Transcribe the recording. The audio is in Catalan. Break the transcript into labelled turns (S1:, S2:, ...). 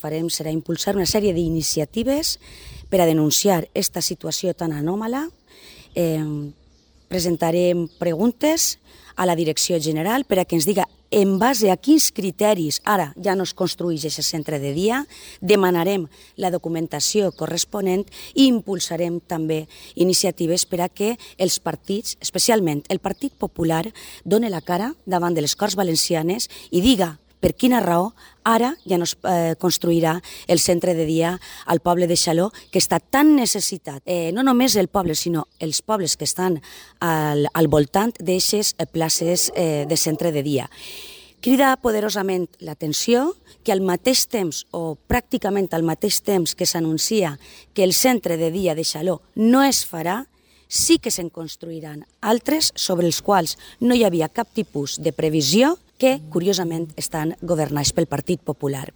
S1: farem serà impulsar una sèrie d'iniciatives per a denunciar aquesta situació tan anòmala. Presentarem preguntes a la Direcció General per a que ens diga en base a quins criteris ara ja no es construeix aquest centre de dia, demanarem la documentació corresponent i impulsarem també iniciatives per a que els partits, especialment el Partit Popular, doni la cara davant de les Corts Valencianes i diga per quina raó ara ja no es construirà el centre de dia al poble de Xaló, que està tan necessitat, no només el poble, sinó els pobles que estan al voltant d'aixes places de centre de dia. Crida poderosament l'atenció que al mateix temps, o pràcticament al mateix temps que s'anuncia que el centre de dia de Xaló no es farà, sí que se'n construiran altres sobre els quals no hi havia cap tipus de previsió que, curiosament, estan governats pel Partit Popular.